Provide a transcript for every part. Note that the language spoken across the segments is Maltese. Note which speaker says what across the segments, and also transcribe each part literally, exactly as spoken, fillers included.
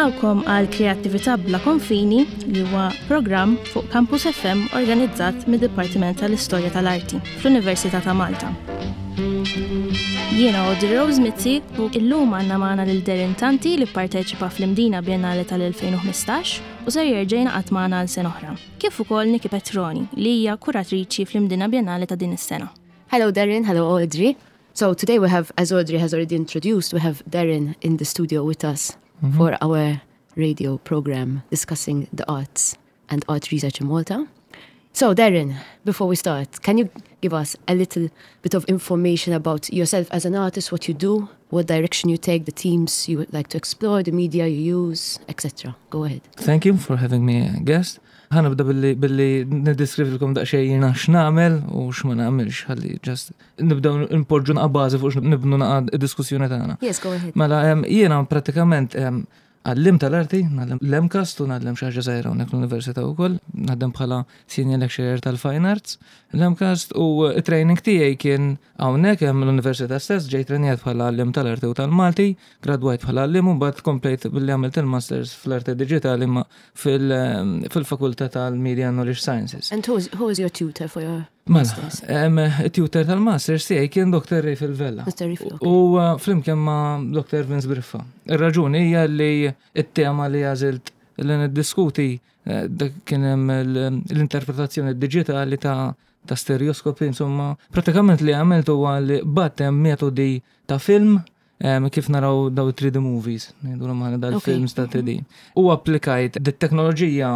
Speaker 1: Nilqgħukom għal Kreattività bla konfini li huwa programm fuq Campus F M organizzat mid-Dipartiment tal-Istorja tal-Arti fl-Università ta' Malta. Jiena Audrey Rose Mizzi u illum għandna magħna lil Darren Tanti li parteċipa fl-Imdina Biennale tal-elfejn u ħmistax u ser jerġa' jingħaqad magħna għal sena oħra. Kif ukoll Niki Petroni li hija kuratriċi fl-Imdina Biennale ta' din is-sena.
Speaker 2: Hello, Darren. Hello, Audrey. So today we have, as Audrey has already introduced, we have Darren in the studio with us for our radio program discussing the arts and art research in Malta. So, Darren, before we start, can you give us a little bit of information about yourself as an artist, what you do, what direction you take, the themes you would like to explore, the media you use, et cetera? Go ahead.
Speaker 3: Thank you for having me a guest. Ħa nibda billi billi niddeskrivilkom daqsxejn jiena x'nagħmel u x'ma nagħmilx, ħalli just nibdew npoġġu naqa bażi fuq nibnu naqa diskussjoni tagħna.
Speaker 2: Yes, go ahead.
Speaker 3: Mela em, jiena pratikament em, għalliem tal-arti, ngħallem l-MCAST u ngħallem xi ħaġa żgħira hawnhekk l-Università wkoll, naħdem bħala senior lecturer tal-Fine Arts, l-MCAST, u training tiegħi kien hawnhekk hemm l-Università stess, ġejt trenjat bħala għalliem tal-arti u tal-Malti, gradwajt bħala għalliem u mbagħad komplejt billi għamilt il-Masters fl-Arti Digitali ma fil-Fakultà tal-Media and Knowledge Sciences.
Speaker 2: And who is, who is your tutor for your
Speaker 3: Mela,
Speaker 2: masters?
Speaker 3: em, il-tutor tal-Masters tiegħi kien Doctor Rafel Vella.
Speaker 2: Mister Rafel, okay.
Speaker 3: U uh, flimkien ma' Doctor Vince Briffa. Ir-raġuni hija li it-tema li għażilt li niddiskuti eh, dak kien hemm l- l-interpretazzjoni digitali ta' ta' stereoskopi, insomma, pratikament li għamilt huwa li batem metodi ta' film em, kif naraw daw three D movies, ngħidu aħna dal-films ta' three D. U applikajt dit-teknoloġija,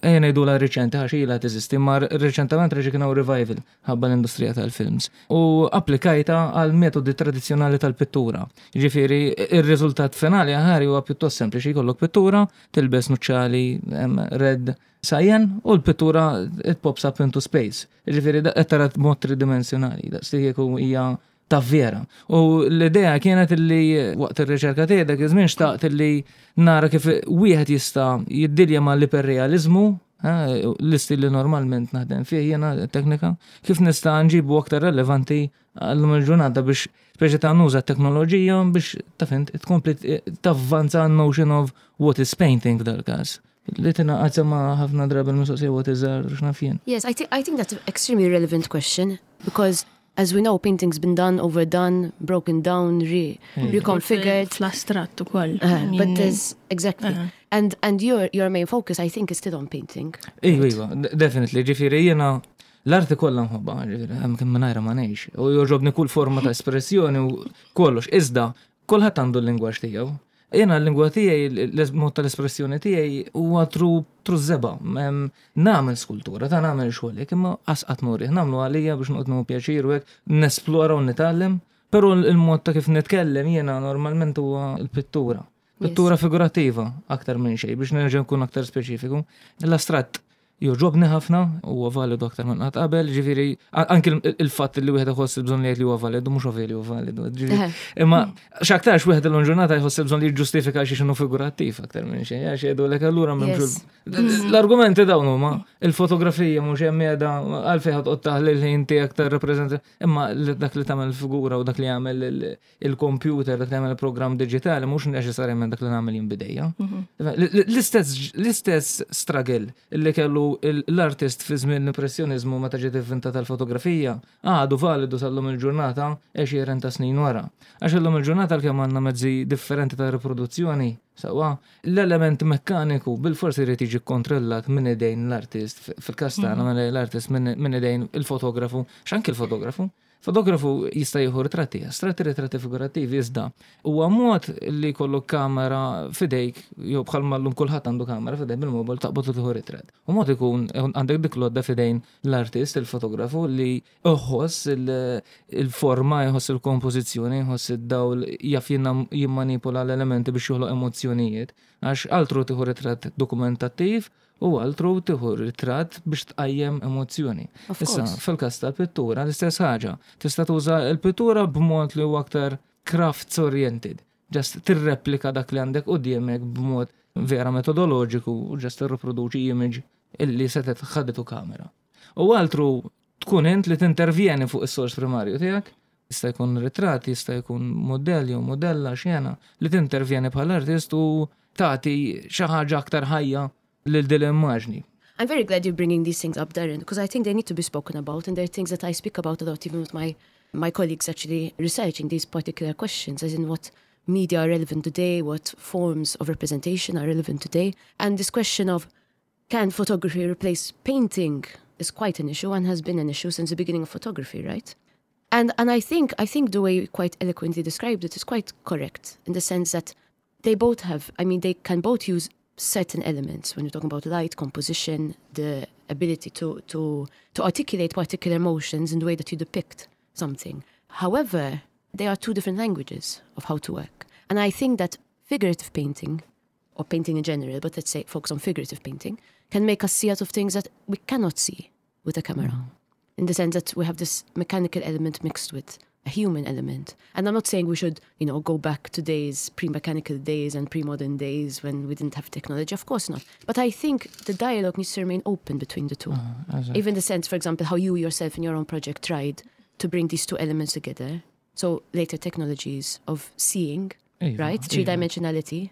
Speaker 3: ejja ngħidu la riċenti għax ilha teżisti, ma reċentament reġa' kien hawn revival ħabba l-industrija tal-films. U applikajta għal metodi tradizzjonali tal-pittura. Jiġifieri ir-riżultat finali aħari huwa pjuttost sempliċi: jkollok pittura, tilbes nuċċali em, red cyan u l-pittura it pops up into space. Jiġifieri da qed tara mod tridimensjonali, daqs li kieku hija ta' vera. U l-idea kienet li waqt ir-riċerka tiegħi dak iż-żmien xtaqt li nara kif wieħed jista' jiddilja ma' l-iperrealizmu, eh, l-istil li normalment naħdem fih jiena teknika, kif nista' nġibu aktar relevanti għallum il-ġurnata biex speċi ta' nuża teknoloġija biex ta' fint tkompli tavvanza notion of what is painting f'dal-każ. Li tingħaqad ma' ħafna drabi l-mistoqsija what is art, x'naf jien.
Speaker 2: Yes, I think I think that's an extremely relevant question because, as we know, painting's been done, overdone, broken down, re reconfigured.
Speaker 1: Fl-astratt ukoll.
Speaker 2: Uh,
Speaker 1: I mean,
Speaker 2: but there's exactly,
Speaker 1: Uh-huh.
Speaker 2: and and your your main focus, I think, is still on painting.
Speaker 3: Iva, iva, definitely, ġifieri jiena l-arti kollha nħobbha, ġifieri, hemm kemm mingħajra ma ngħix. U jogħġobni kull forma ta' espressjoni u kollox. Iżda, kulħadd għandu l-lingwaġġ tiegħu. Jiena l-lingwa tiegħi, l-mod tal-espressjoni tiegħi huwa through through żebgħa. Em, Nagħmel skultura, ta' nagħmel xogħol, imma qas nurih, nagħmlu għalija biex noqgħod nieħu pjaċir u hekk nesplora u nitgħallem. Però il-mod ta' kif nitkellem jiena normalment huwa l-pittura. Pittura figurattiva aktar minn xejn, biex nerġa' nkun aktar speċifiku. L-astratt jogħġobni ħafna, huwa validu aktar minn qatt qabel, ġifieri a- anki il- il-fatt li wieħed iħoss il-bżonn li jgħid li huwa validu mhux ovvja li huwa validu. Ġifieri, imma x'aktarx wieħed illum ġurnata jħoss il-bżonn li jiġġustifika xi x'inhu figurattiv aktar minn xejn, għax jgħidulek allura m'hemmx
Speaker 2: Yes.
Speaker 3: il- L-argumenti dawn huma il-fotografija mhux hemm qiegħda, għalfejn ħa toqgħod taħli l-ħin tiegħek tar-rappreżenta, imma li- dak li tagħmel figura u dak li jagħmel il- il-computer, dak li jagħmel il-programm diġitali mhux neċessarjament dak li nagħmel jien b'idejja. L-istess l-istess struggle li kellu l-artist fi żmien l-impressjonizmu meta ġiet inventata l-fotografija għadu validu sal-lum il-ġurnata għexieren ta' snin wara. Għax illum il-ġurnata l-kemm għandna mezzi differenti ta' riproduzzjoni, sewwa, l-element mekkaniku bil-forsi jrid jiġi kontrollat minn idejn l-artist, fil-każ tagħna minn l-artist, minn minn idejn il-fotografu, x'anki il-fotografu. Fotografu jista' jieħu ritratti, astratti, ritratti figurattivi, iżda huwa mod li jkollu kamera f'idejk, jew bħal llum kulħadd għandu kamera f'idejk bil-mobile, taqbad u tieħu ritratt. U mod ikun għandek dik l-għodda f'idejn l-artist, il-fotografu li iħoss il- il-forma, jħoss il-kompożizzjoni, jħoss id-dawl, jaf jinna- jimmanipula l-elementi biex joħloq emozzjonijiet. Għax altru tieħu ritratt dokumentattiv u altru tieħu ritratt biex tqajjem emozzjoni.
Speaker 2: Of
Speaker 3: Issa,
Speaker 2: course.
Speaker 3: fil-każ tal-pittura, l-istess ħaġa. Tista' tuża l-pittura b'mod li huwa aktar crafts oriented. Just tirreplika dak li għandek quddiemek b'mod vera metodoloġiku u just tirriproduċi image illi setet ħaditu kamera. U altru tkun int li tintervjeni fuq is-sors primarju tiegħek, jista' jkun ritratt, jista' jkun modell jew modella xjena, li tintervjeni bħal artist u tagħti xi ħaġa aktar ħajja lil din l-immaġni.
Speaker 2: I'm very glad you're bringing these things up, Darren, because I think they need to be spoken about, and they're things that I speak about a lot, even with my, my colleagues actually researching these particular questions, as in what media are relevant today, what forms of representation are relevant today. And this question of can photography replace painting is quite an issue and has been an issue since the beginning of photography, right? And and I think I think the way you quite eloquently described it is quite correct in the sense that they both have I mean they can both use certain elements when you're talking about light, composition, the ability to to to articulate particular emotions in the way that you depict something. However, they are two different languages of how to work. And I think that figurative painting, or painting in general, but let's say focus on figurative painting, can make us see out of things that we cannot see with a camera. Mm. In the sense that we have this mechanical element mixed with a human element. And I'm not saying we should, you know, go back to days, pre-mechanical days and pre-modern days when we didn't have technology. Of course not. But I think the dialogue needs to remain open between the two. Uh, Even the sense, for example, how you yourself in your own project tried to bring these two elements together. So later technologies of seeing, iva, right? Three-dimensionality.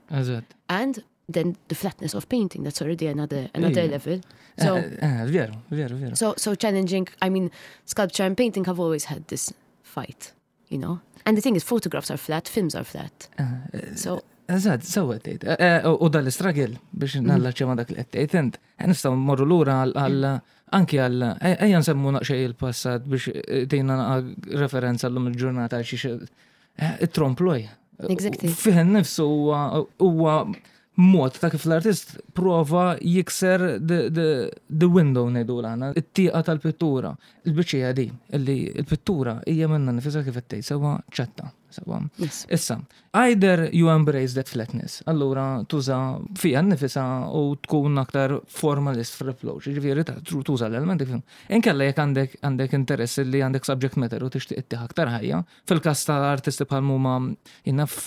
Speaker 2: And then the flatness of painting, that's already another another level.
Speaker 3: So eh, eh, veru, veru, veru.
Speaker 2: So so challenging. I mean, sculpture and painting have always had this fight, you know. And the thing is, photographs are flat, films are flat.
Speaker 3: Eh, so Eżatt, sewwa tgħid. U dal-istruggle biex mhm. nallaċċja ma' dak li qed tgħid int, nistgħu mmorru lura għal anki għal ejja nsemmu naqxej il-passat biex tgħinna referenza llum il-ġurnata għal xi it-trompe-l'oeil.
Speaker 2: Exactly.
Speaker 3: Fih nifsu huwa mod ta' kif l-artist prova jikser the, the, the window ngħidu l it-tieqa tal-pittura. Il-biċċija di, illi il-pittura hija minnha nfisha kif qed tgħid sewwa ċatta. Sewwa. Issa, either you embrace that flatness, allura tuża fija nifisha u tkun aktar formalist fl-approach, ġifieri tuża l-elementi. Inkella jekk għandek għandek interess li għandek subject matter u tixtieq ittih aktar ħajja, fil-każ ta' artisti bħal huma jinnaf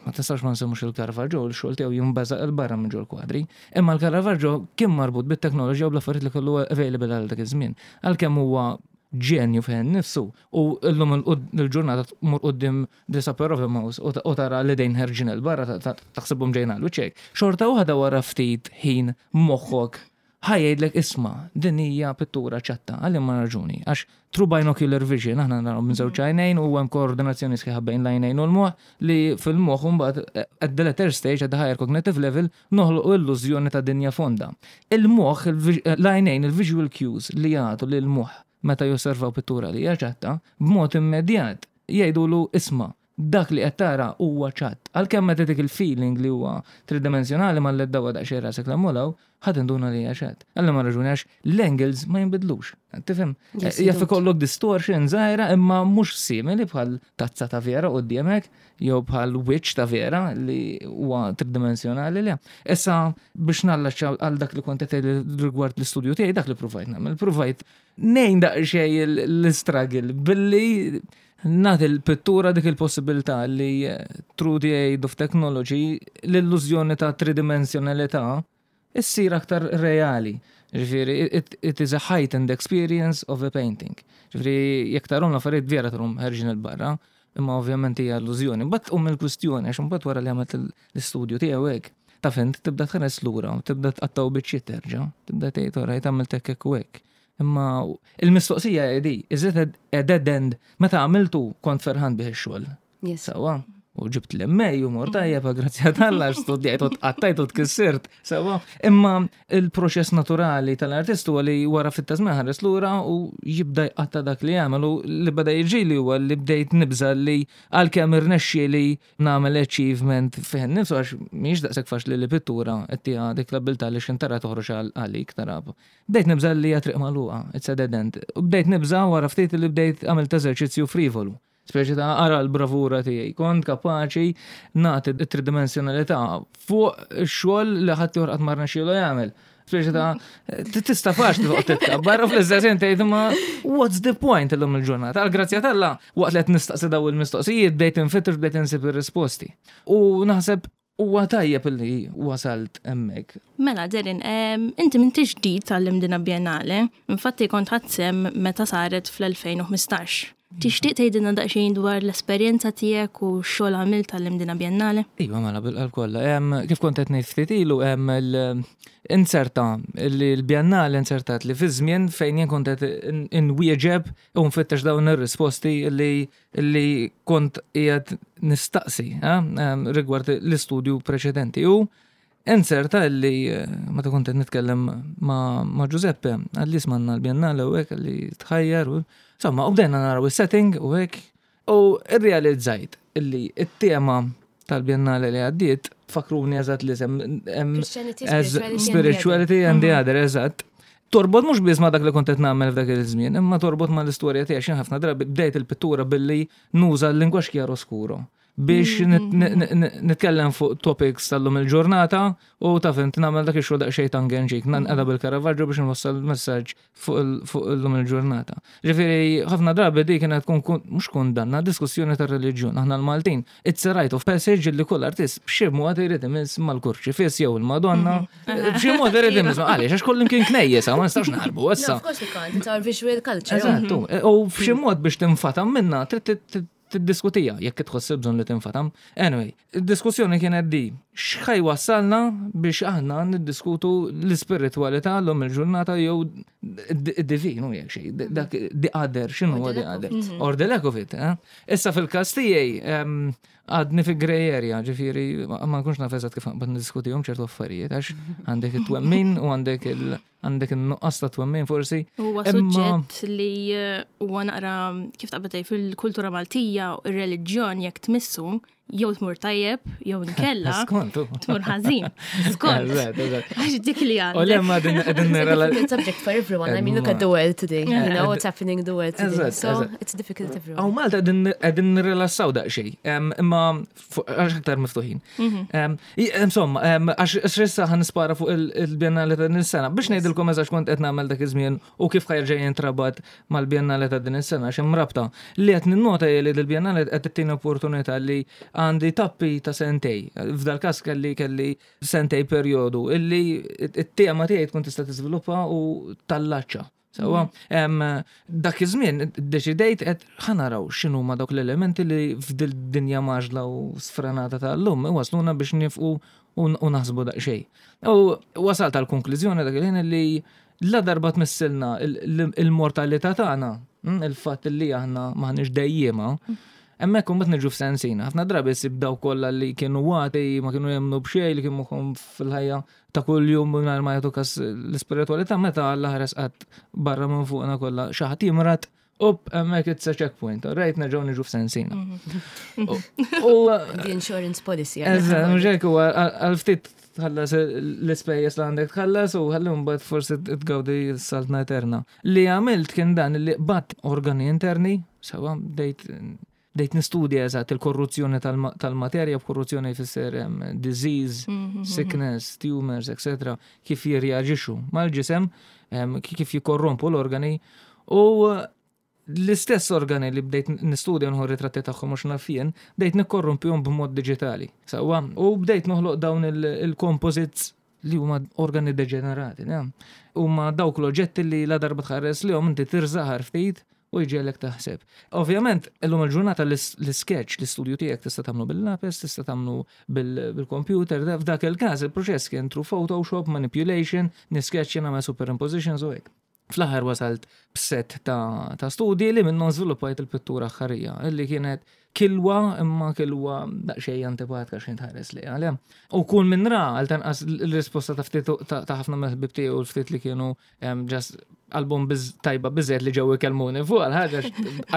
Speaker 3: ma tistax ma nsemmux il-Caravaggio, il-xogħol tiegħu jimbażaq 'il barra minn ġol kwadri. Imma l-Caravaggio kien marbut bit-teknoloġija u bl-affarijiet li kellu available għal dak iż-żmien. Għalkemm huwa ġenju fejn nifsu u llum il-ġurnata tmur quddiem disa pair of mouse u tara li dejn ħerġin 'il barra taħsibhom ġejna l wiċċek. Xorta waħda wara ftit ħin moħħok ħa jgħidlek isma' din hija pittura ċatta għal ma raġuni għax through binocular vision aħna naraw minn żewġ għajnejn u hemm koordinazzjoni sħiħa bejn l-għajnejn u l-moħħ li fil-moħħ mbagħad at the later stage at the higher cognitive level noħloqu illużjoni ta' dinja fonda. Il-moħħ l-għajnejn il-visual cues li jagħtu lil moħħ meta josservaw pittura li hija ċatta b'mod immedjat jgħidulu isma' dak li qed tara huwa ċatt. Għalkemm meta dik il-feeling li huwa tridimensjonali ma l-dawa daqsxejn rasek l-ammolaw, ħadd induna li hija ċatt. Għalla ma raġuni għax l-angles ma jinbidlux. Tifhem? Jaf ikollok distortion żgħira imma mhux simili bħal tazza ta' vera quddiemek jew bħal wiċċ ta' vera li huwa tridimensjonali li. Issa biex nallaċċa għal dak li kont qed rigward l-istudju tiegħi dak li provajt nagħmel. Provajt nejn daqsxejn l-struggle billi nagħti l-pittura dik il-possibilità li through the aid of technology l-illużjoni ta' tridimensjonalità issir aktar reali. Ġifieri, it, it is a heightened experience of a painting. Ġifieri, jekk tarahom l-affarijiet vera tarahom ħerġin 'il barra, imma ovvjament hija illużjoni. Mbagħad tqum il-kwistjoni għax imbagħad wara li għamilt l-istudju tiegħu hekk. Taf int tibda tħares lura, tibda tqattaw biċċiet terġa', tibda tgħid orajt għamilt hekk hekk u hekk. Imma il-mistoqsija di, is it a dead end? Meta għamiltu kont ferħan bih ix-xogħol.
Speaker 2: Yes.
Speaker 3: Sewwa. U ġibt l-MA u mort tajjeb, grazzi t'Alla, studjajt u tqattajt u tkissert. Sewwa. Imma il-proċess naturali tal-artist huwa li wara fit żmien ħares lura u jibda jqatta dak li jagħmel u li beda jiġi li huwa li bdejt nibża li għalkemm irnexxi li nagħmel achievement fih nifsu għax mhijiex daqshekk faċli li pittura qed tiha dik l-abilità li x'intara toħroġ għalik tara. Bdejt nibża li hija triq magħluqa, it's a dead end. U bdejt nibża wara ftit li bdejt għamilt eżerċizzju frivolu. Speċi ta' ara l-bravura tiegħi, kont kapaċi nagħti t-tridimensjonalità fuq xogħol li ħadd ieħor qatt ma rnexxielu jagħmel. Speċi ta' tista' faċli toqgħod titkabbar u fl-istess ħin tgħid ma what's the point illum il-ġurnata? Għal grazzja t'Alla waqt li qed nistaqsi daw il-mistoqsijiet bdejt infittex bdejt insib ir-risposti. U naħseb huwa tajjeb li wasalt hemmhekk.
Speaker 1: Mela, Darren, inti m'intix ġdid tal-Imdina Biennale, infatti kont ħadt sehem meta saret fl-elfejn u ħmistax. Tixtieq tgħidilna daqsxejn dwar l-esperjenza tiegħek u x-xogħol għamilt tal-Imdina Biennale?
Speaker 3: Iva, mela bil-qalb kollha. Kif kont qed ngħid ftit ilu hemm inzerta li l-Biennale inzertat li fi żmien fejn jien kont qed inwieġeb u nfittex dawn ir-risposti li li kont qiegħed nistaqsi rigward l-istudju preċedenti. U inzerta li meta kont qed nitkellem ma' Giuseppe, għalli smanna l-Biennale u hekk li tħajjar u insomma, u bdejna naraw is-setting u hekk u rrealizzajt illi it-tema tal-Biennale li għaddiet fakruni eżatt li sem spirituality and the other, eżatt. Torbot mhux biss ma dak li kont qed nagħmel f'dak il-żmien, imma torbot ma l-istorja tiegħi xi ħafna drabi bdejt il-pittura billi nuża l-lingwaġġ chiaroscuro biex nitkellem fuq topics tal-lum il-ġurnata u taf int nagħmel dak ix-xogħol daqsxejn tongue-in-cheek, nanqeda bil-Caravaggio biex nwassal messaġġ fuq illum il-ġurnata. Ġifieri ħafna drabi di kienet tkun mhux kundanna, diskussjoni tar-reliġjon. Aħna l-Maltin, it's a rite of passage li kull artist b'xi mod irid imiss mal-kurċifiss jew il-Madonna, b'xi mod irid imiss għaliex għax kollu kien knejjes, ma nistax naħarbu issa.
Speaker 2: Of course we can't, it's our visual culture.
Speaker 3: Eżattu, u b'xi mod biex tinfatam minna trid tiddiskutija jekk tħoss bżonn li tinfatam. Anyway, id-diskussjoni kienet di, x'ħa jwassalna biex aħna niddiskutu l-ispiritualità l-lum il-ġurnata jew id-divinu jekk xejn, dak the other, x'inhu huwa the other. Or the lack of it. Eh? Issa fil-każ tiegħi għadni fi grey area, ġifieri ma nkunx naf eżatt kif naqbad niddiskutihom ċertu affarijiet, għax għandek it-twemmin u għandek il- għandek il-nuqqas ta' twemmin forsi.
Speaker 1: Huwa suġġett li eh, huwa naqra kif taqbad fil-kultura Maltija u ir-reliġjon jekk tmissu jew tmur tajjeb jew inkella tmur ħażin. Skont. Għax dik li għandek.
Speaker 3: U lemma din
Speaker 2: It's a subject for everyone. I mean, look at the world today. You know what's happening in the world today. So it's difficult everyone.
Speaker 3: Aw Malta qegħdin nirrilassaw daqsxejn, imma għax aktar miftuħin. Mhm. Insomma, għax issa ħa nispara fuq il-Biennale ta' din is-sena biex ngħidilkom eżatt kont qed nagħmel dak iż-żmien u kif ħa jerġa' jintrabat mal-Biennale ta' din is-sena x'hemm rabta li qed ninnota li l-Biennale qed tittina opportunità li għandi tappi ta' sentej. F'dal każ kelli kelli sentej perjodu illi it-tema tiegħi tkun tista' tiżviluppa u tallaċċa. Sewwa, dak iż-żmien deċidejt qed ħa naraw x'inhu ma dawk l-elementi li f'dil dinja mgħaġġla u sfrenata tal-lum wasluna biex nifqu u naħsbu daqsxejn. U wasalt għal konklużjoni dak il-ħin li la darba tmissilna il-mortalità tagħna, hm, il-fatt li aħna m'aħniex dejjema, hemmhekk imbagħad niġu f'sensina. Ħafna drabi ssib daw kollha li kienu għati, ma kienu jemmnu b'xejn, li kienu moħħhom fil-ħajja ta' kuljum mingħajr ma jagħtu kas l-ispiritualità meta Alla ħares qatt barra minn fuqna kollha xi ħadd jimrad, up, hemmhekk it's a checkpoint, right, nerġgħu niġu f'sensina.
Speaker 2: U The insurance policy.
Speaker 3: Eżatt, mhux hekk huwa għal ftit tħallas l-ispejjeż li għandek tħallas u ħalli mbagħad forsi tgawdi s-saltna eterna. Li għamilt kien dan li qbadt organi interni, sewa bdejt bdejt nistudja eżatt il-korruzzjoni tal-materja, b'korruzzjoni jfisser disease, mhm, sickness, tumors, et cetera, kif jirreaġixxu mal-ġisem, kif jikorrompu l-organi u l-istess organi li bdejt nistudja nħu ritratti tagħhom mhux naf jien, bdejt nikkorrompihom b'mod diġitali. Sewwa, u bdejt noħloq dawn il-composites li huma organi deġenerati. Huma dawk l-oġġetti li la darba tħares li inti tirżaħar ftit u jġegħlek taħseb. Ovvjament, illum il-ġurnata l-sketch, l-istudju tiegħek tista' tagħmlu bil-lapis, tista' tagħmlu bil-computer, f'dak il-każ il-proċess kien through Photoshop, manipulation, nisketch nagħmel superimpositions u hekk. Fl-aħħar wasalt b'set ta', ta studji li minnhom żviluppajt il-pittura ħarija, illi kienet kilwa imma kilwa daqsxejn antipatika xejn tħares li għalja. U kull minn ra għal tanqas l-risposta ta' ftit ta' ħafna mill-ħbib tiegħu u l-ftit li kienu just album tajba biżejjed li ġew ikellmuni fuq għal ħaġa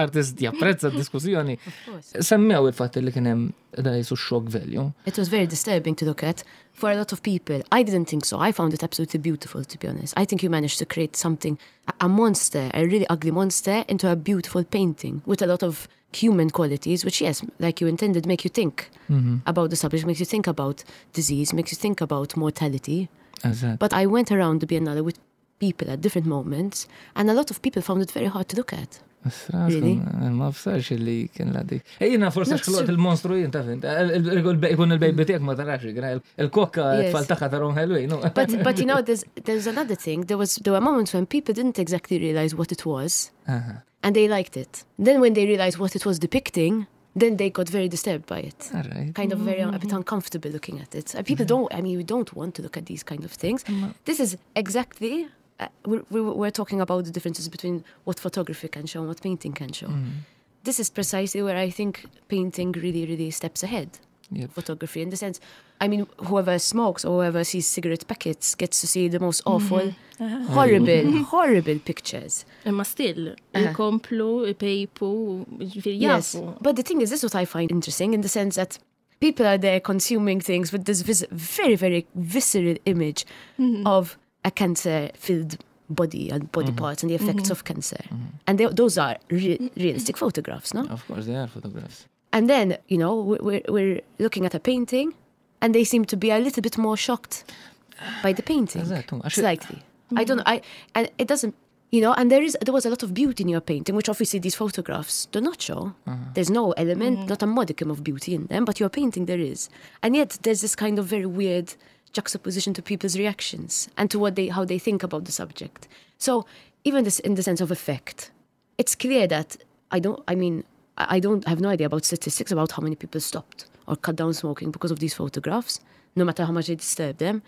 Speaker 3: artist japprezza d-diskussjoni. Semmew il-fatt li kien hemm da jisu shock value.
Speaker 2: It was very disturbing to look at for a lot of people. I didn't think so. I found it absolutely beautiful, to be honest. I think you managed to create something, a monster, a really ugly monster, into a beautiful painting with a lot of human qualities, which, yes, like you intended, make you think mm -hmm. about the subject, makes you think about disease, makes you think about mortality.
Speaker 3: Exactly.
Speaker 2: But I went around the Biennale with people at different moments, and a lot of people found it very hard to look at.
Speaker 3: Really? Ma fsarx li kien la dik. Ejjina forse xħlot il-monstru jien taf int. Ikun il-baby tiegħek ma tarax, il-kokka tfal tagħha tarhom ħelwin.
Speaker 2: But but you know there's there's another thing. There was there were moments when people didn't exactly realize what it was. And they liked it. Then when they realized what it was depicting, then they got very disturbed by it.
Speaker 3: All right.
Speaker 2: Kind of very a bit uncomfortable looking at it. Uh, people don't, I mean, we don't want to look at these kind of things. This is exactly, uh, we're, we're, we're talking about the differences between what photography can show and what painting can show. This is precisely where I think painting really, really steps ahead.
Speaker 3: Yep.
Speaker 2: Photography, in the sense, I mean, whoever smokes or whoever sees cigarette packets gets to see the most awful, horrible, horrible pictures.
Speaker 1: Imma still, ikomplu, ipejpu, ġifieri
Speaker 2: Yes.
Speaker 1: jafu.
Speaker 2: But the thing is, this is what I find interesting in the sense that people are there consuming things with this vis- very, very visceral image of a cancer-filled body and body parts and the effects of cancer. And they, those are re- realistic photographs, no?
Speaker 3: Of course, they are photographs.
Speaker 2: And then, you know, we- we're, we're looking at a painting and they seem to be a little bit more shocked by the painting.
Speaker 3: Eżatt, għax-
Speaker 2: Slightly. I don't I and it doesn't you know, and there is there was a lot of beauty in your painting, which obviously these photographs do not show. There's no element, not a modicum of beauty in them, but your painting there is. And yet there's this kind of very weird juxtaposition to people's reactions and to what they how they think about the subject. So even this in the sense of effect, it's clear that I don't I mean I I don't I have no idea about statistics about how many people stopped or cut down smoking because of these photographs, no matter how much they disturb them.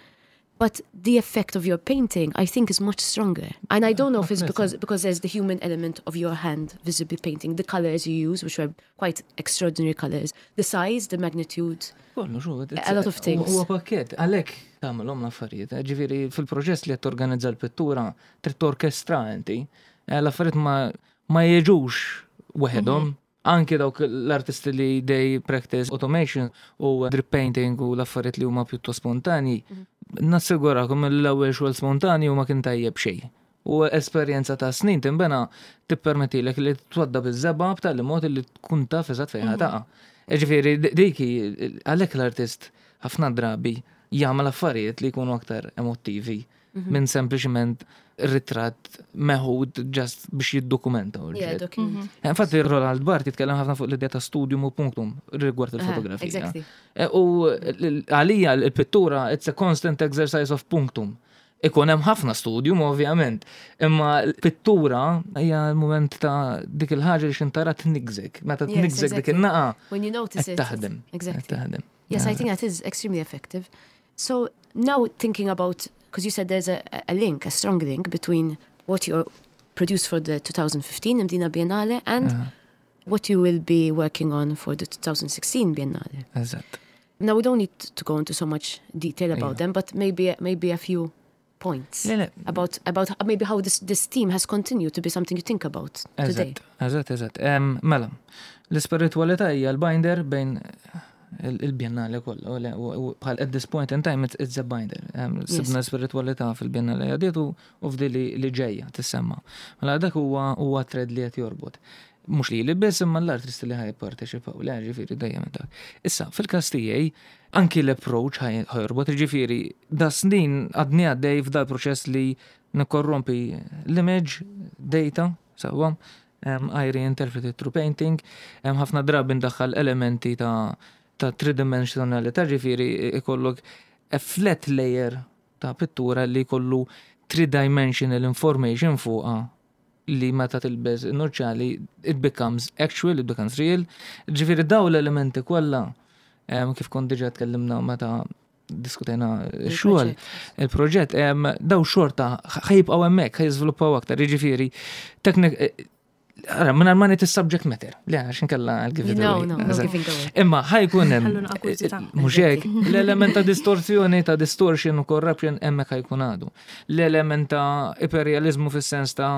Speaker 2: But the effect of your painting, I think, is much stronger. And I don't know if it's because because there's the human element of your hand visibly painting, the colors you use, which were quite extraordinary colors, the size, the magnitude.
Speaker 3: Kollu, xu,
Speaker 2: A lot of things.
Speaker 3: Huwa pakket, għalhekk tagħmelhom l-affarijiet. Ġifieri fil-proċess li qed torganizza l-pittura, trid torkestra inti. Eh, L-affarijiet ma ma jiġux waħedhom. Anki dawk l-artisti li they practice automation u drip painting u l-affarijiet li huma pjuttost spontanji, nassigurakom l-ewwel xogħol spontanju ma kien tajjeb xejn. U esperjenza ta' snin timbena tippermettilek li twadda biż-żebgħa b'tali mod li tkun taf eżatt fejn taqa'. Ġifieri dik għalhekk l-artist ħafna drabi jagħmel affarijiet li jkunu aktar emottivi minn sempliċement ritratt meħud just biex jiddokumenta.
Speaker 2: Yeah,
Speaker 3: oġġett.
Speaker 2: document.
Speaker 3: Infatti Roland Barthes jitkellem ħafna fuq l-idea ta' studium u punctum rigward
Speaker 2: Aha,
Speaker 3: il-fotografija.
Speaker 2: Exactly.
Speaker 3: E, U l- għalija l-pittura it's a constant exercise of punctum. Ikun hemm ħafna studium ovvjament, imma l-pittura hija l-moment ta' dik il-ħaġa li xintara tnigżek. Meta
Speaker 2: Yes,
Speaker 3: tnigżek dik
Speaker 2: exactly.
Speaker 3: in-naqa
Speaker 2: When you notice
Speaker 3: qed
Speaker 2: it.
Speaker 3: taħdem. qed
Speaker 2: Exactly.
Speaker 3: taħdem.
Speaker 2: Yes, I think that is extremely effective. So now thinking about, because you said there's a, a link, a strong link between what you produced for the twenty fifteen Mdina Biennale and what you will be working on for the twenty sixteen Biennale.
Speaker 3: Eżatt.
Speaker 2: Now we don't need to go into so much detail about
Speaker 3: Yeah.
Speaker 2: them, but maybe maybe a few points
Speaker 3: Le, le,
Speaker 2: about about maybe how this this theme has continued to be something you think about today.
Speaker 3: Eżatt, eżatt, eżatt. Em, Mela, l-spiritualità hija l-binder bejn il- il-biennale kollha, u le- u u bħal at this point in time it's, it's a binder. Em, Sibna spiritualità fil-biennale għadiet u u f'di li li ġejja tissemma. Mela dak huwa huwa thread li qed jorbot. Mhux li li biss imma l-artisti li ħa jipparteċipaw, le ġifieri dejjem dak. Issa, fil-każ tiegħi, anki l-approach ħa jorbot, ġifieri da snin għadni għaddej f'dal proċess li nikkorrompi l-image, data, sewwa, um, I reinterpret it through painting, um, ħafna drabi ndaħħal elementi ta' ta' tridimensionalità, ġifieri ikollok a flat layer ta' pittura li kollu three-dimensional information fuqha li meta tilbes nuċċali it becomes actual, it becomes real. Ġifieri daw l-elementi kollha em, kif kont diġà tkellimna meta diskutejna x-xogħol, il-proġett, em, daw xorta ħa jibqgħu hemmhekk, ħa jiżviluppaw aktar, jiġifieri teknik Ara, minn ma ngħid is-subject matter. Le, għax inkella I'll give it
Speaker 2: No,
Speaker 3: away.
Speaker 2: no, no
Speaker 3: Eżatt.
Speaker 2: giving away.
Speaker 3: Imma ħa jkun hemm
Speaker 1: Ħalluna kurżità.
Speaker 3: mhux hekk, l-element ta' distorsjoni, ta' distortion u corruption hemmhekk ħa jkun għadu. L-element ta' iperrealizmu fis-sens ta'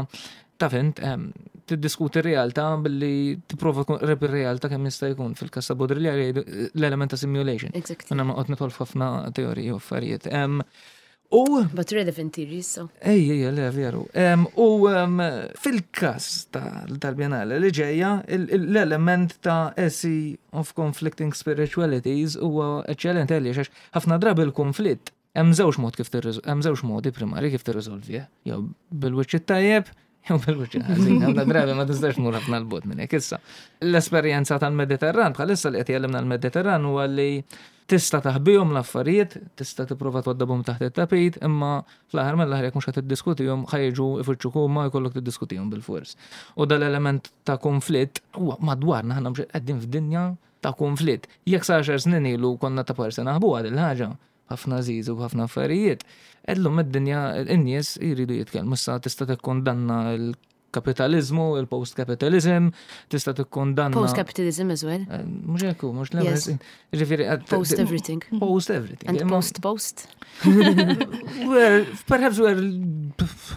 Speaker 3: ta' fint, em, tiddiskuti r-realtà billi tipprova tkun qrib ir-realtà kemm jista' jkun fil-każ ta' Baudrillard jgħidu l-element ta' simulation.
Speaker 2: Exactly.
Speaker 3: Minna ma qed nidħol f'ħafna teoriji u affarijiet. Em, U
Speaker 2: But relevant theories, so.
Speaker 3: Ej, ej, le, veru. Em, U em, fil-kas ta- tal-Biennale li ġejja, il- il- l-element ta' essay of conflicting spiritualities huwa eċċellenti għaliex għax ħafna drabi l-konflitt hemm żewġ mod kif tirriżol- hemm żewġ modi primari kif tirriżolvih, jew bil-wiċċ tajjeb Jew bil-wiċċ il-ħażin, ħafna drabi ma tistax tmur ħafna 'l bogħod minn hekk issa. L-esperjenza tal-Mediterran, bħalissa li qed jgħallimna l-Mediterran huwa li tista' taħbihom l-affarijiet, tista' tipprova twaddabhom taħt it-tapit, imma fl-aħħar mill-aħħar jekk mhux qed tiddiskutihom ħa jiġu ifittxuk huma jkollok tiddiskutihom bil-fors. U dal-element ta' konflitt huwa madwarna aħna mhux qegħdin f'dinja ta' konflitt. Jekk sa għaxar snin ilu konna ta' parsi naħbuha din il-ħaġa, ħafna żiż u ħafna affarijiet. Illum id-dinja in-nies jridu jitkellmu. Issa tista' tikkondanna l-kapitalizmu, il-post-capitalism, tista' tikkondanna.
Speaker 2: Post-capitalism as well.
Speaker 3: Eh, Mhux hekk hu, mhux
Speaker 2: Yes.
Speaker 3: Ġifieri qed-
Speaker 2: Post everything.
Speaker 3: Post everything.
Speaker 2: And
Speaker 3: Imma-
Speaker 2: post-post.
Speaker 3: we're perhaps we're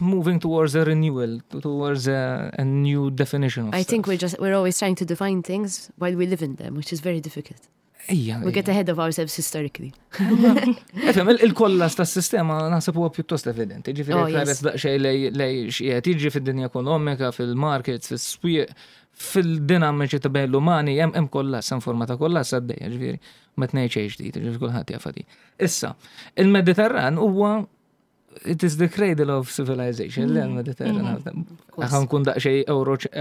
Speaker 3: moving towards a renewal, towards a, a new definition of
Speaker 2: I think
Speaker 3: stuff.
Speaker 2: we're just we're always trying to define things while we live in them, which is very difficult.
Speaker 3: Ija,
Speaker 2: We get ahead of ourselves historically.
Speaker 3: Efhem, il-kollass tas-sistema naħseb huwa pjuttost evidenti. Ġifieri
Speaker 2: Oh,
Speaker 3: oh, tħares
Speaker 2: yes.
Speaker 3: daqsxejn lej lej x'qiegħed jiġri fid-dinja ekonomika, fil-markets, fis-swieq, fil-dinamiċi ta' bejn l-umani, hemm hemm kollass, hemm forma ta' kollass għaddejja, ġifieri ma tnejn xejn ġdid, ġifieri kulħadd jaf di. Issa, il-Mediterran huwa it is the cradle of civilization, mm. l-Mediterran.
Speaker 2: course.
Speaker 3: Ħa nkun daqsxejn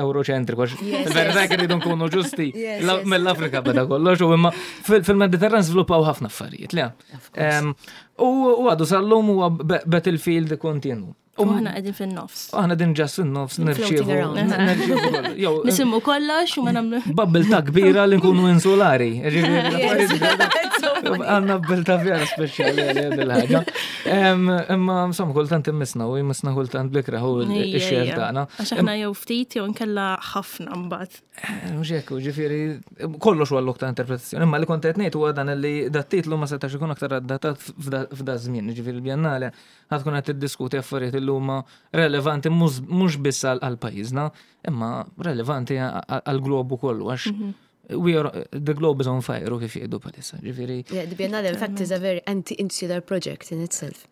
Speaker 3: euroċentriku, għax
Speaker 2: Yes,
Speaker 3: fil-verità rridu nkunu ġusti.
Speaker 2: Yes,
Speaker 3: La-
Speaker 2: yes.
Speaker 3: Mill-Afrika beda kollox, u imma fil- fil-Mediterran żviluppaw ħafna affarijiet, le?
Speaker 2: Of course.
Speaker 3: Em, U u għadu sal-lum huwa be- battlefield kontinu.
Speaker 1: U aħna qegħdin fin-nofs.
Speaker 3: Aħna din ġas fin-nofs
Speaker 2: Floating
Speaker 3: nirċievu.
Speaker 2: around.
Speaker 3: nirċievu kollox. Jew,
Speaker 1: Nisimgħu kollox u ma nagħmlu.
Speaker 3: Bubble ta' kbira li nkunu insulari. Ġifieri, l-affarijiet Għandna bubble vera speċjali għal dil-ħaġa. Em, Imma insomma kultant immisna u jmissna kultant bl-ikrah u x-xer tagħna.
Speaker 1: Għax aħna jew ftit jew nkella ħafna mbagħad.
Speaker 3: Mhux hekk, ġifieri kollox huwa lok ta' interpretazzjoni, imma li kont qed ngħid huwa dan li dat-titlu ma setax ikun aktar adattat f'da f'da żmien, ġifieri l-Biennale ħa tkun qed tiddiskuti affarijiet li huma relevanti mhux mhux biss għal għal pajjiżna, imma relevanti għal globu kollu għax we are the globe is on fire u kif jgħidu bħalissa, ġifieri.
Speaker 2: Yeah, the Biennale, in fact, is a very anti-insular project in itself.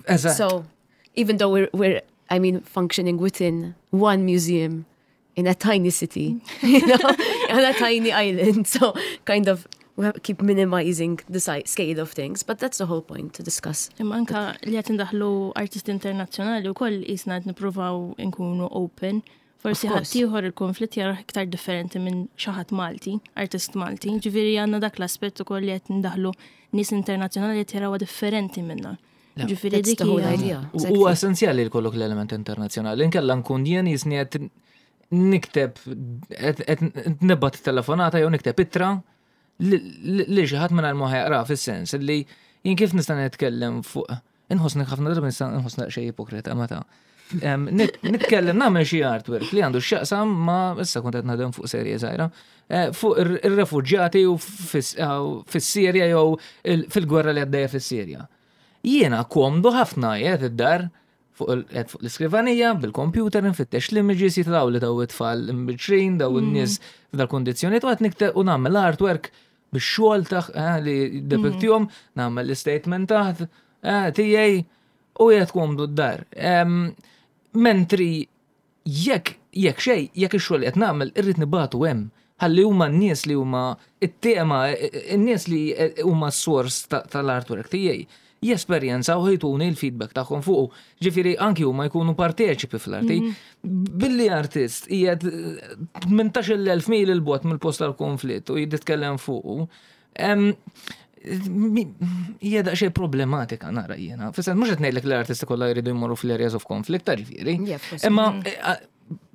Speaker 3: Eżatt.
Speaker 2: So even though we're, we're, I mean, functioning within one museum in a tiny city, you know, on a tiny island, so kind of we have, keep minimizing the size, scale of things, but that's the whole point to discuss.
Speaker 1: Imma anka li qed indaħlu artisti internazzjonali wkoll qisna qed nippruvaw nkunu open. Forsi
Speaker 2: Of course.
Speaker 1: ħadd ieħor il-konflitt jarah iktar differenti minn xi ħadd Malti, artist Malti. Ġifieri għandna dak l-aspett ukoll li qed ndaħlu nies internazzjonali qed jarawha differenti minna. Ġifieri
Speaker 2: That's
Speaker 1: dik
Speaker 2: the whole
Speaker 1: hija-
Speaker 2: idea.
Speaker 3: U
Speaker 2: Exactly.
Speaker 3: huwa essenzjali li jkollok l-element internazzjonali. Inkella nkun jien jisni qed nikteb qed qed nibgħat telefonata jew nikteb ittra li li xi ħadd mingħajr ma jaqra fis-sens li jien kif nista' nitkellem fuq inħossni ħafna drabi nista' nħossni xejn ipokrita meta. Em, nit- Nitkellem nagħmel xi artwork li għandu x'jaqsam ma issa kont qed naħdem fuq serje żgħira eh, fuq ir- ir-refuġjati u fis- eh, fis-Sirja jew il- fil-gwerra li għaddejja fis-Sirja. Jiena komdu ħafna qiegħed id-dar fuq il- qiegħed fuq l-iskrivanija bil-computer nfittex l-images jitlaw li daw it-tfal imbiċrin, daw in-nies f'dal-kondizzjonijiet u qed nikteb u nagħmel artwork bix-xogħol taħ eh, li depiktihom, nagħmel l-statement taħt eh, tiegħi u qiegħed komdu d-dar. Em, Mentri jekk jekk xej, jekk ix-xogħol li qed nagħmel irrid nibagħtu hemm. Ħalli huma n-nies li huma it-tema, n-nies li huma s-sors ta- tal-artwork tiegħi jesperjenzaw ħa jtuni l-feedback tagħhom fuqu. Ġifieri anki huma jkunu parteċipi fl-arti. Billi artist qiegħed tmintax-il elf mil 'il bogħod mill-post tal-konflitt u jitkellem fuqu. em, mi- Hija daqsxejn problematika nara jiena. Fis mhux qed ngħidlek li l-artisti kollha jridu jmorru fl-areas of conflict, ta' ġifieri.
Speaker 2: Yeah, of course.
Speaker 3: Imma eh,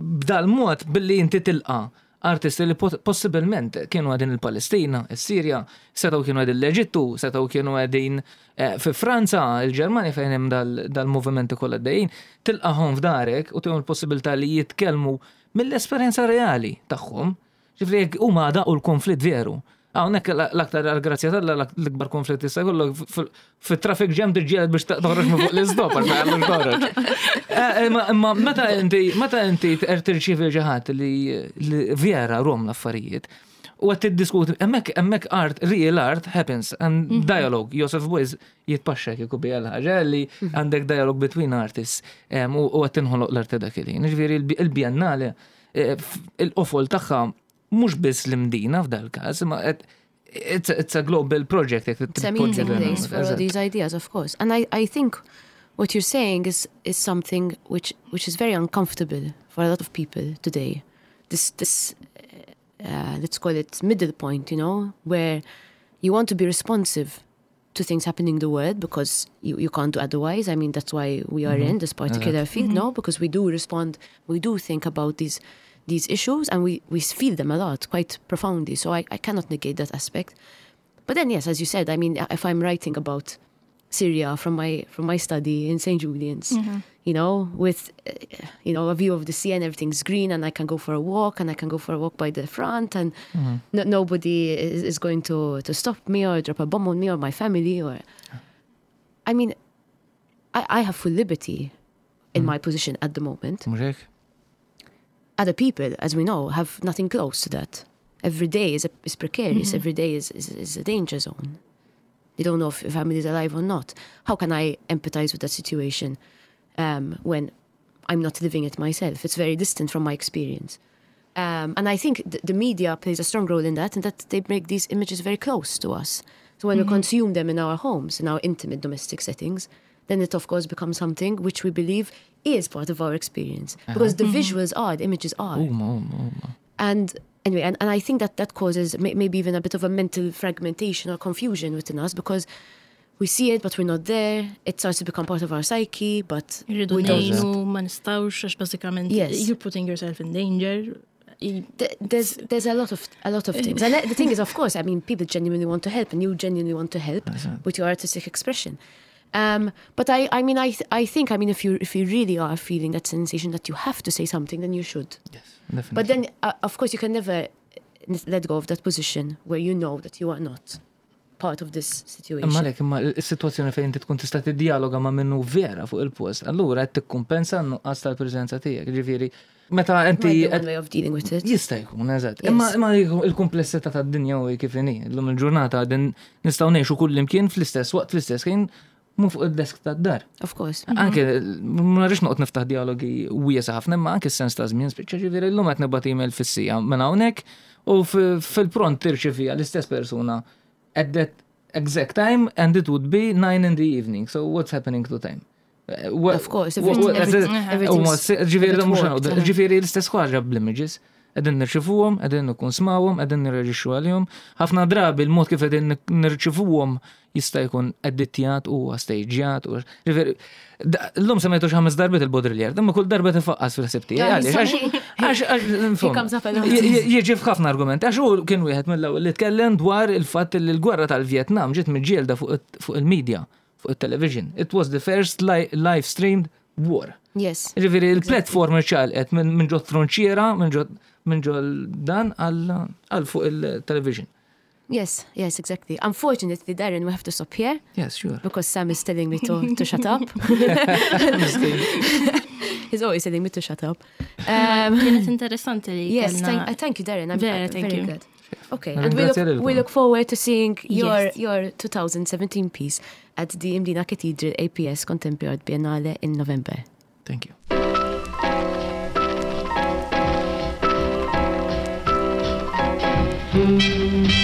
Speaker 3: b'dal-mod billi inti tilqa artisti li pot- possibilment kienu qegħdin il-Palestina, il-Sirja, setgħu kienu qegħdin l-Eġittu, setgħu kienu qegħdin eh, fi Franza, il-Ġermanja fejn hemm dal- dal-movimenti kollha għaddejjin, tilqahom f'darek u tihom il-possibilità li jitkellmu mill-esperjenza reali tagħhom. Ġifieri jekk huma daqu l-konflitt veru. Hawnhekk l-aktar għal-grazzja t'Alla l-ikbar konflitt issa kollok fit-traffic jam tiġġieled biex toħroġ minn fuq l-istop għax ma jgħallux toħroġ. Eh, Imma imma meta inti meta inti tirċievi xi ħadd li li vera rom l-affarijiet u qed tiddiskuti hemmhekk hemmhekk art, real art happens and dialogue. Joseph Beuys jitpaxxa kieku bija l-ħaġa li għandek dialogue between artists em, u u qed tinħoloq l-arti dak il-ħin. Ġifieri il-Biennale eh, il-qofol tagħha mhux biss l-Imdina f'dal każ, imma qed- it's a, it's a global project.
Speaker 2: It's a meeting place for all these ideas, of course. And I, I think what you're saying is is something which which is very uncomfortable for a lot of people today. This this uh, let's call it middle point, you know, where you want to be responsive to things happening in the world because you, you can't do otherwise. I mean, that's why we are in this particular field, no? Because we do respond, we do think about these these issues and we, we feel them a lot, quite profoundly. So I, I cannot negate that aspect. But then, yes, as you said, I mean, if I'm writing about Syria from my from my study in Saint Julian's, you know, with uh, you know a view of the sea and everything's green, and I can go for a walk, and I can go for a walk by the front, and no, nobody is, is going to to stop me or drop a bomb on me or my family, or I mean, I, I have full liberty in my position at the moment.
Speaker 3: Mhux hekk?
Speaker 2: Other people, as we know, have nothing close to that. Every day is, a, is precarious. Every day is, is, is a danger zone. They don't know if your family is alive or not. How can I empathize with that situation um, when I'm not living it myself? It's very distant from my experience. Um, and I think th- the media plays a strong role in that, and that they make these images very close to us. So when we consume them in our homes, in our intimate domestic settings, then it of course becomes something which we believe is part of our experience. Because the visuals are, the images are.
Speaker 3: Huma, huma, huma.
Speaker 2: And anyway, and, and I think that that causes may, maybe even a bit of a mental fragmentation or confusion within us because we see it, but we're not there. It starts to become part of our psyche, but
Speaker 1: Irridu
Speaker 2: we don't.
Speaker 1: ngħinu, ma nistgħux, għax bażikament
Speaker 2: Yes.
Speaker 1: you're putting yourself in danger. I-
Speaker 2: Th- There's there's a lot of a lot of things, and the thing is, of course, I mean, people genuinely want to help, and you genuinely want to help with your artistic expression. Um, but I, I mean, I, th- I think, I mean, if you if you really are feeling that sensation that you have to say something, then you should.
Speaker 3: Yes, definitely.
Speaker 2: But then, uh, of course, you can never uh, let go of that position where you know that you are not part of this situation.
Speaker 3: Imma lek, imma il-situazzjoni fejn inti tkun tista' tiddialoga ma' minnu vera fuq il-post, allura qed tikkumpensa n-nuqqas tal-preżenza tiegħek. Ġifieri, meta inti
Speaker 2: Might be one way of dealing with it.
Speaker 3: Jista' jkun, eżatt.
Speaker 2: Yes.
Speaker 3: Imma imma il-kumplessità tad-dinja u kif inhi. Illum il-ġurnata din nistgħu ngħixu kull imkien fl-istess waqt fl-istess ħin mhu fuq id-desk tad-dar.
Speaker 2: Of course.
Speaker 3: Anke, ma rridx noqgħod niftaħ dialogi wiesa ħafna, imma anke s-sens ta' żmien, spiċċa ġifieri llum qed nibgħat email fis-siegħa minn hawnhekk u f- fil-pront tirċevija l-istess persuna at that exact time and it would be nine in the evening. So what's happening to time? Eh, what-
Speaker 2: Of course,
Speaker 3: what-
Speaker 2: everything-
Speaker 3: what-
Speaker 2: everything- everything's
Speaker 3: Ġifieri
Speaker 2: a bit
Speaker 3: mhux
Speaker 2: warped, uh-huh.
Speaker 3: ġifieri l-istess ħaġa bl-images. Qegħdin nirċivuhom, qegħdin nikkonsmawhom, qegħdin nirreġixxu għalihom. Ħafna drabi l-mod kif qegħdin nirċivuhom jista' jkun editjat u staġjat u ġifieri llum semmejtu xi ħames darbiet il-Baudrillard, imma kull darba tifaqqas fil-ħsieb tiegħi.
Speaker 2: Yeah,
Speaker 3: Għaliex? Għax għax
Speaker 2: He comes up a lot.
Speaker 3: Jiġi f'ħafna argumenti, għax hu kien wieħed mill-ewwel li tkellem dwar il-fatt li l-gwerra tal-Vjetnam ġiet miġġielda fuq fuq il-media, fuq il-television. It was the first li live streamed war.
Speaker 2: Yes.
Speaker 3: Ġifieri il-platform ċalqet minn minn ġo frontiera, minn ġo minn ġo dan għal għal fuq il-television.
Speaker 2: Yes, yes, exactly. Unfortunately, Darren, we have to stop here
Speaker 3: Yes, sure.
Speaker 2: because Sam is telling me to, to shut up. He's always telling me to shut up. Um,
Speaker 1: Kienet interessanti li
Speaker 2: yes,
Speaker 1: kellna-
Speaker 2: thank, uh, thank you, Darren. I'm
Speaker 1: Vera,
Speaker 2: uh,
Speaker 1: thank
Speaker 2: very
Speaker 1: you.
Speaker 2: glad. Okay, and we look,
Speaker 3: Ringrazzja
Speaker 2: we
Speaker 3: lilkom.
Speaker 2: look forward to seeing your,
Speaker 1: Yes.
Speaker 2: your twenty seventeen piece at the Mdina Cathedral A P S Contemporary Art Biennale in November.
Speaker 3: Thank you.
Speaker 2: Thank